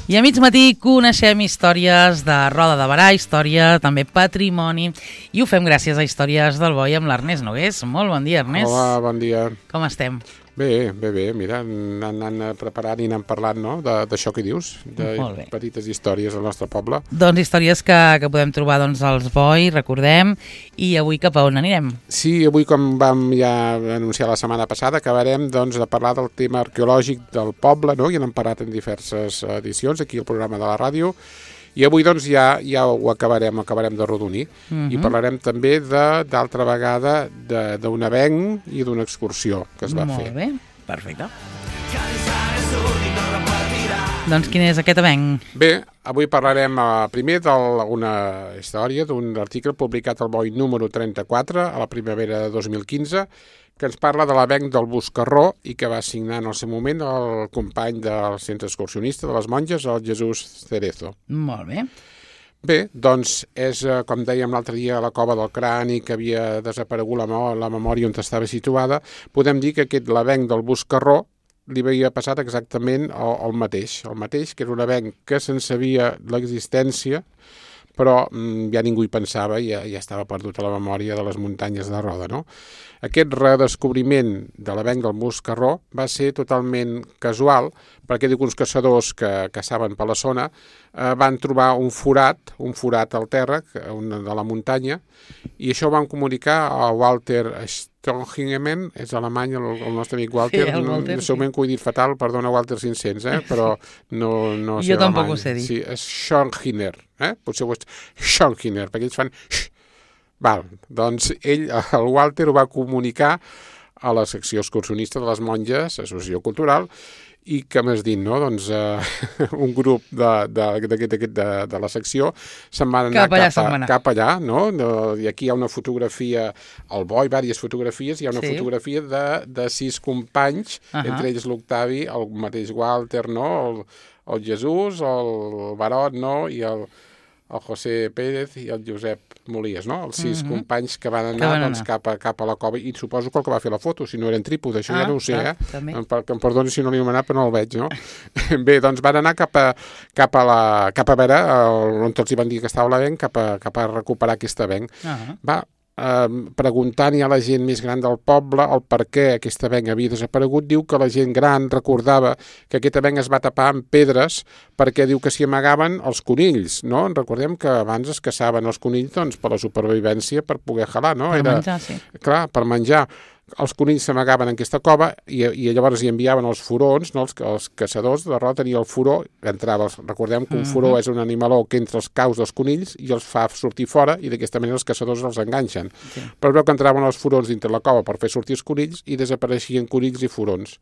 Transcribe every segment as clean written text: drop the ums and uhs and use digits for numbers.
I a mig matí coneixem històries de Roda de Berà, història, també patrimoni, i ho fem gràcies a Històries del Boi amb l'Ernest Nogués. Molt bon dia, Ernest. Hola, bon dia. Com estem? Bé, mira, anant preparant i anant parlant, no?, d'això que dius, de petites històries del nostre poble. Doncs històries que podem trobar als Boi, recordem, i avui cap a on anirem? Sí, avui, com vam ja anunciar la setmana passada, acabarem de parlar del tema arqueològic del poble, no?, i n'hem parlat en diverses edicions aquí al programa de la ràdio, i avui ja ho acabarem d'arrodonir. I parlarem també d'altra vegada d'un avenc i d'una excursió que es va fer. Molt bé, perfecte. Doncs quin és aquest avenc? Bé, avui parlarem primer d'una història d'un article publicat al Boi número 34 a la primavera de 2015, que ens parla de l'avenc del Buscarró i que va signar en el seu moment el company del centre excursionista de les Monges, el Jesús Cerezo. Molt bé. Bé, doncs és, com dèiem l'altre dia, la cova del crani que havia desaparegut la memòria on estava situada. Podem dir que l'avenc del Buscarró li havia passat exactament el mateix, que era un avenc que se'n sabia l'existència, però ja ningú hi pensava i ja estava perdut a la memòria de les muntanyes de Roda, no? Aquest redescobriment de l'avenc del Buscarró va ser totalment casual, perquè diu que uns caçadors que caçaven per la zona van trobar un forat al terra de la muntanya, i això ho van comunicar a Walter Stonhingemen, és alemany el nostre amic Walter, sí, Walter, segurament que ho he dit fatal, perdona Walter 500, però no sé jo tampoc ho sé dir. Sí, és Schonhiner, potser ho és Schonhiner, perquè ells fan... doncs ell, el Walter, ho va comunicar a la secció excursionista de les Monges, Associació Cultural, i que m'has dit, no? Doncs un grup de la secció se'n van anar cap allà, no? I aquí hi ha una fotografia, al Boi, diverses fotografies, hi ha una fotografia de 6 companys, entre ells l'Octavi, el mateix Walter, no? El Jesús, el Barot, no? I el José Pérez i el Josep Molies, no? Els 6 companys que van anar cap a la cova, i suposo que el que va fer la foto, si no eren trípodes, això ja no ho sé, que em perdoni si no l'he anomenat, però no el veig, no? Bé, doncs van anar cap a veure on tots hi van dir que estava l'avenc, cap a recuperar aquest avenc. Preguntant a la gent més gran del poble el per què aquest avenc havia desaparegut, diu que la gent gran recordava que aquest avenc es va tapar amb pedres perquè diu que s'hi amagaven els conills, no? Recordem que abans es caçaven els conills per la supervivència, per poder jalar, no? Per menjar, sí. Clar, per menjar. Els conills s'amagaven en aquesta cova i llavors hi enviaven els furons, no? Els caçadors de Roda tenien el furó, recordem que un furó és un animaló que entra als caus dels conills i els fa sortir fora, i d'aquesta manera els caçadors els enganxen. Però veu que entraven els furons dintre la cova per fer sortir els conills i desapareixien conills i furons.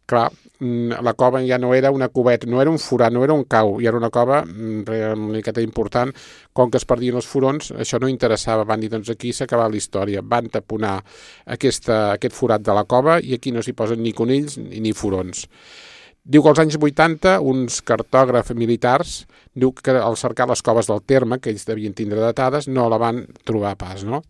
Clar, la cova ja no era una coveta, no era un forat, no era un cau, i era una cova una miqueta important. Com que es perdien els furons, això no interessava. Van dir, doncs aquí s'acaba la història. Van taponar aquest forat de la cova i aquí no s'hi posen ni conills ni furons. Diu que als anys 80 uns cartògrafs militars, diu que al cercar les coves del terme, que ells devien tindre datades, no la van trobar pas, no?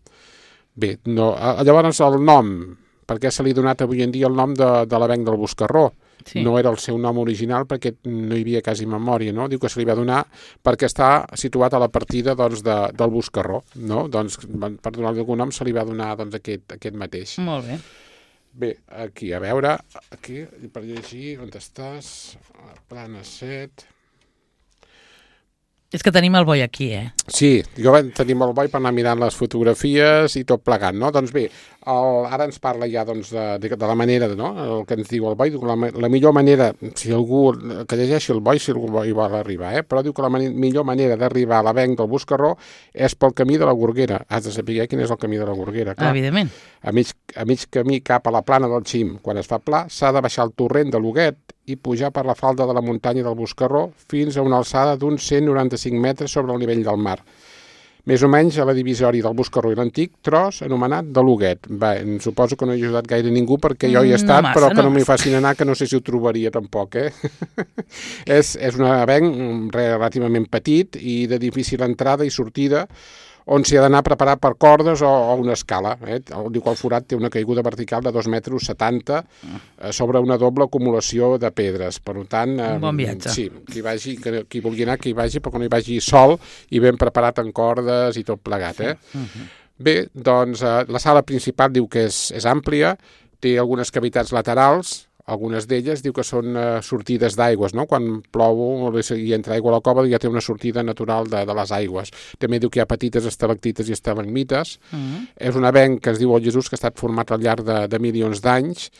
Bé, llavors el nom, per què se li ha donat avui en dia el nom de l'avenc del Buscarró? No era el seu nom original perquè no hi havia quasi memòria, no? Diu que se li va donar perquè està situat a la partida del Buscarró, no? Doncs per donar-li algun nom se li va donar aquest mateix. Molt bé. Bé, aquí, a veure, aquí, per llegir, on estàs? Plana 7... És que tenim el Boi aquí, Sí, tenim el Boi per anar mirant les fotografies i tot plegant, no? Doncs bé, ara ens parla ja de la manera, no? El que ens diu el Boi, la millor manera, si algú que llegeixi el Boi, si algú hi vol arribar, però diu que la millor manera d'arribar a l'avenc del Buscarró és pel camí de la Gorguera. Has de saber quin és el camí de la Gorguera, clar. Evidentment. A mig camí cap a la plana del Xim. Quan es fa pla, s'ha de baixar el torrent de l'Huguet i pujar per la falda de la muntanya del Buscarró fins a una alçada d'uns 195 metres sobre el nivell del mar. Més o menys a la divisòria del Buscarró i l'antic tros anomenat de l'Huguet. Bé, suposo que no he ajudat gaire ningú perquè jo hi he estat, però que no m'hi facin anar, que no sé si ho trobaria tampoc, És un avenc relativament petit i de difícil entrada i sortida, on s'hi ha d'anar preparat per cordes o una escala. Diu que el forat té una caiguda vertical de 2,70 metres sobre una doble acumulació de pedres. Per tant, un bon viatge. Sí, qui vulgui anar, que hi vagi, però que no hi vagi sol i ben preparat en cordes i tot plegat. Bé, doncs la sala principal diu que és àmplia, té algunes cavitats laterals, algunes d'elles diu que són sortides d'aigües, no? Quan plou i entra aigua a la cova ja té una sortida natural de les aigües. També diu que hi ha petites estalactites i estalagmites. És un avenc que es diu el Jesús, que ha estat format al llarg de milions d'anys,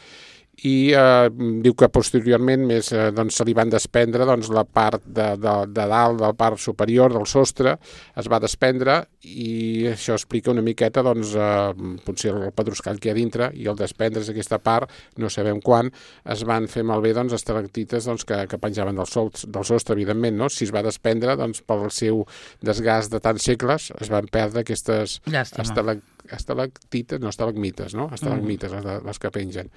i diu que posteriorment més, doncs, se li van desprendre la part de dalt, de la part superior del sostre, es va desprendre i això explica una miqueta potser el pedruscall que hi ha dintre i el desprendre's aquesta part, no sabem quan, es van fer malbé estalactites que penjaven del sostre, evidentment, no? Si es va desprendre pel seu desgast de tants segles es van perdre aquestes estalactites, no estalagmites, no? Estalagmites, les que pengen.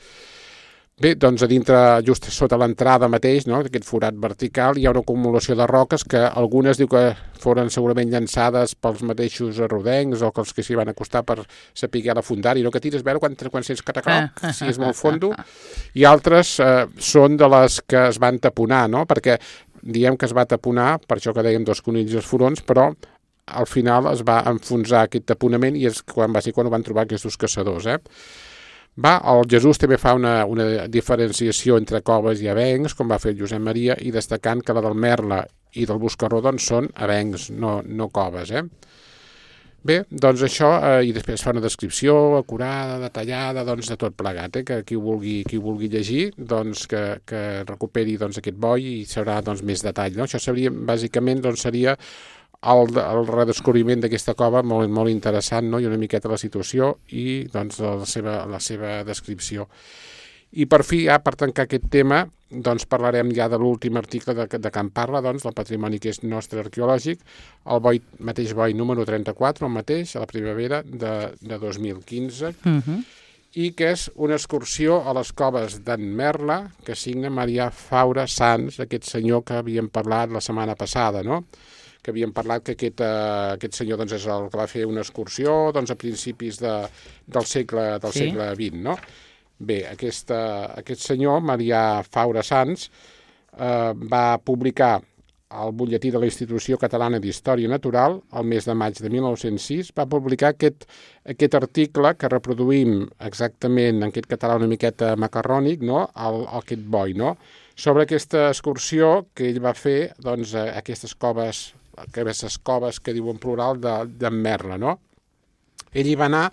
Bé, doncs a dintre, just sota l'entrada mateix, no, d'aquest forat vertical, hi ha una acumulació de roques que algunes diu que foren segurament llançades pels mateixos rodencs o els que s'hi van acostar per saber la fundar-hi, no? Que tires a veure quan sents catagroc, si és molt fondo, i altres són de les que es van taponar, no? Perquè diem que es va taponar, per això que dèiem dos conills i els furons, però al final es va enfonsar aquest taponament i és quan ho van trobar aquests caçadors, el Jesús també fa una diferenciació entre coves i avencs, com va fer el Josep Maria, i destacant que la del Merla i del Buscarró són avencs, no coves. Bé, doncs això, i després fa una descripció acurada, detallada, de tot plegat, que qui vulgui llegir, que recuperi aquest boi i sabrà més detall. Això seria, bàsicament, seria el redescobriment d'aquesta cova molt, molt interessant, no? I una miqueta la situació i la seva descripció. I per fi, per tancar aquest tema, parlarem ja de l'últim article de Can Parla, del patrimoni que és nostre arqueològic, el mateix boi número 34, el mateix, a la primavera de 2015, i que és una excursió a les coves d'en Merla, que signa Marià Faura Sans, aquest senyor que havíem parlat la setmana passada, no? Que havíem parlat que aquest senyor és el que va fer una excursió a principis del segle XX, no? Bé, aquest senyor, Marià Faura Sans, va publicar al butlletí de la Institució Catalana d'Història Natural, el mes de maig de 1906, va publicar aquest article que reproduïm exactament en aquest català una miqueta macarrònic, no? Aquest boi, no? Sobre aquesta excursió que ell va fer a aquestes coves que diu en plural d'en Merla, no? Ell hi va anar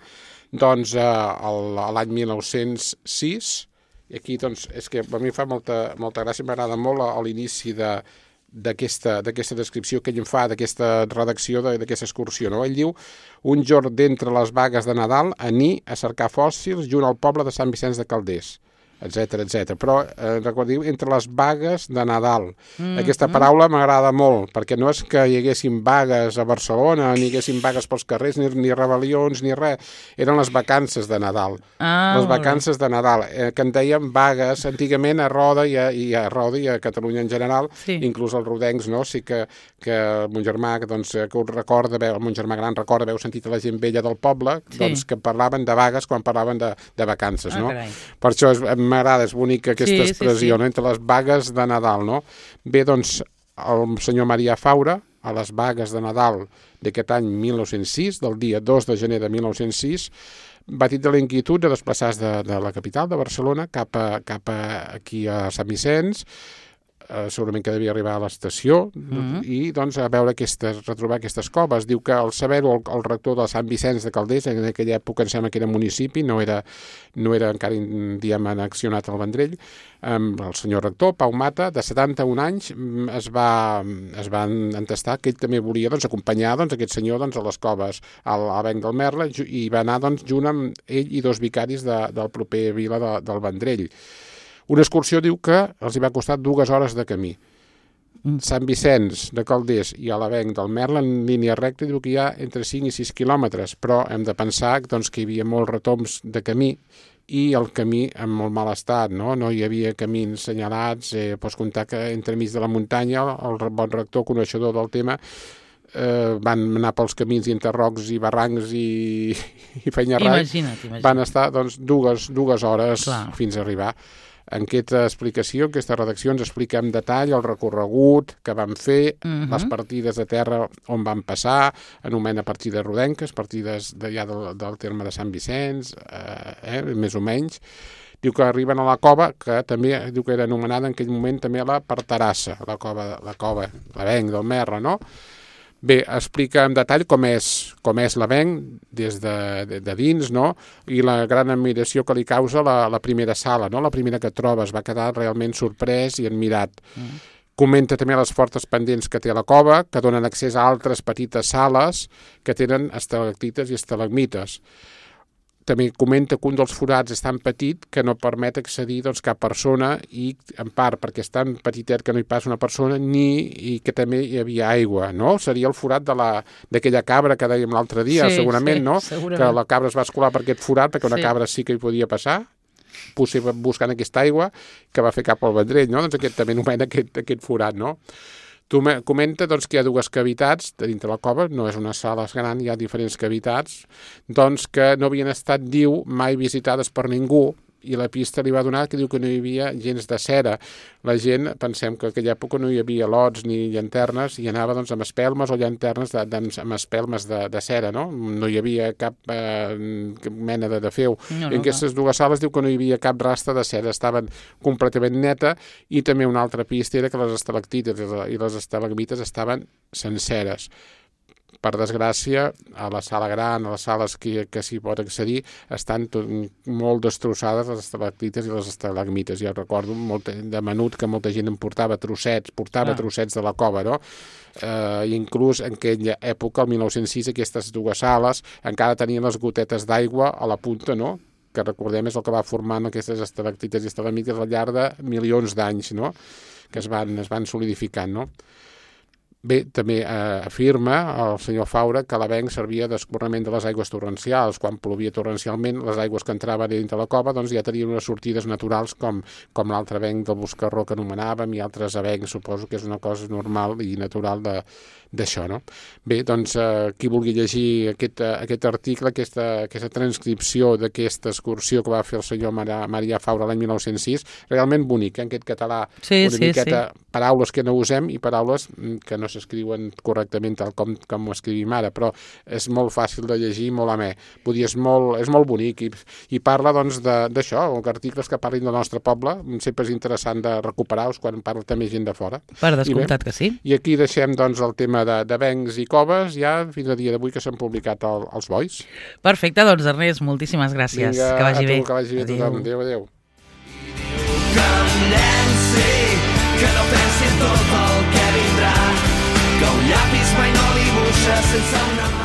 l'any 1906 i aquí és que a mi fa molta gràcia, m'agrada molt a l'inici d'aquesta descripció que ell em fa, d'aquesta redacció d'aquesta excursió, no? Ell diu: un jorn d'entre les vagues de Nadal aní a cercar fòssils junt al poble de Sant Vicenç de Calders, etc. Però recordeu, entre les vagues de Nadal. Aquesta paraula m'agrada molt, perquè no és que hi haguessin vagues a Barcelona, ni hi haguessin vagues pels carrers, ni rebel·lions, ni res. Eren les vacances de Nadal. Les vacances de Nadal, que en dèiem vagues antigament a Roda i a Catalunya en general, inclús els rodencs, no? Sí que mon germà, que ho recorda, el mon germà gran recorda haver sentit a la gent vella del poble, que parlaven de vagues quan parlaven de vacances, no? Per això m'agrada, és bonica aquesta expressió, no? Entre les vagues de Nadal, no? Bé, el senyor Marià Faura, a les vagues de Nadal d'aquest any 1906, del dia 2 de gener de 1906, va tindre la inquietud de desplaçar-se de la capital, de Barcelona, cap aquí a Sant Vicenç, segurament que devia arribar a l'estació i a veure retrobar aquestes coves. Diu que al saber-ho el rector de Sant Vicenç de Calders, en aquella època em sembla que era municipi, no era encara annexionat al Vendrell, el senyor rector, Pau Mata, de 71 anys, es va entestar que ell també volia acompanyar aquest senyor a les coves, a l'avenc del Merla, i va anar junt amb ell i dos vicaris del proper vila del Vendrell. Una excursió diu que els hi va costar 2 hores de camí. Sant Vicenç de Calders i a l'avenc del Merla, en línia recta, diu que hi ha entre 5 i 6 quilòmetres, però hem de pensar que hi havia molts retombs de camí i el camí en molt mal estat, no? No hi havia camins senyalats, pots comptar que entremig de la muntanya el bon rector, coneixedor del tema, van anar pels camins i enterrocs i barrancs i fenyarrats. Imagina't. Van estar doncs, dues hores fins a arribar. En aquesta explicació, en aquesta redacció, ens explica en detall el recorregut que vam fer, les partides de terra on van passar, anomena partides rodenques, partides ja del terme de Sant Vicenç, més o menys. Diu que arriben a la cova, que també diu que era anomenada en aquell moment també la Parterassa, la cova, l'Avenc del Merra, no? Bé, explica en detall com és l'Avenc des de dins, no? I la gran admiració que li causa la primera sala, no? La primera que trobes, va quedar realment sorprès i admirat. Comenta també les fortes pendents que té la cova, que donen accés a altres petites sales que tenen estalactites i estalagmites. També comenta que un dels forats és tan petit que no permet accedir cap persona i, en part, perquè és tan petitet que no hi passa una persona i que també hi havia aigua, no? Seria el forat d'aquella cabra que dèiem l'altre dia, segurament, no? Segurament. Que la cabra es va escolar per aquest forat perquè una cabra sí que hi podia passar, potser buscant aquesta aigua que va fer cap al Vendrell, no? Doncs aquest també anomena aquest forat, no? Comenta doncs, que hi ha dues cavitats dintre la cova, no és una sala gran, hi ha diferents cavitats, doncs que no havien estat, diu, mai visitades per ningú, i la pista li va donar que diu que no hi havia gens de cera. La gent, pensem que en aquella època no hi havia lots ni llanternes, i anava doncs, amb espelmes o llanternes amb espelmes de cera, no? No hi havia cap mena de feu. No, en aquestes dues sales diu que no hi havia cap rastre de cera, estaven completament neta, i també una altra pista era que les estalactites i les estalagmites estaven senceres. Per desgràcia, a la sala gran, a les sales que s'hi pot accedir, estan molt destrossades les estalactites i les estalagmites. Jo recordo de menut que molta gent em portava trossets de la cova, no? I inclús en aquella època, el 1906, aquestes dues sales encara tenien les gotetes d'aigua a la punta, no? Que recordem és el que va formant aquestes estalactites i estalagmites al llarg de milions d'anys, no? Que es van solidificant, no? Bé, també afirma el senyor Faura que l'Avenc servia d'escorrement de les aigües torrencials. Quan plovia torrencialment, les aigües que entraven dintre la cova doncs ja tenien unes sortides naturals com l'altre avenc del Boscarró que anomenàvem i altres avencs. Suposo que és una cosa normal i natural d'això, no? Bé, doncs, qui vulgui llegir aquest article, aquesta transcripció d'aquesta excursió que va fer el senyor Marià Faura l'any 1906, realment bonic, en aquest català, una miqueta paraules que no usem i paraules que no s'escriuen correctament tal com ho escrivim ara, però és molt fàcil de llegir, molt amè. Vull dir, és molt bonic i parla doncs d'això, articles que parlin del nostre poble, sempre és interessant de recuperar-los quan parla també gent de fora. Per descomptat que sí. I aquí deixem doncs el tema d'avencs i coves ja fins a dia d'avui que s'han publicat els bois. Perfecte, doncs Ernest, moltíssimes gràcies. Vinga, que vagi bé. Que vagi bé tothom. Adéu. Que no pensi en tot el que vindrà, que un llapis mai no dibuixa sense una mà.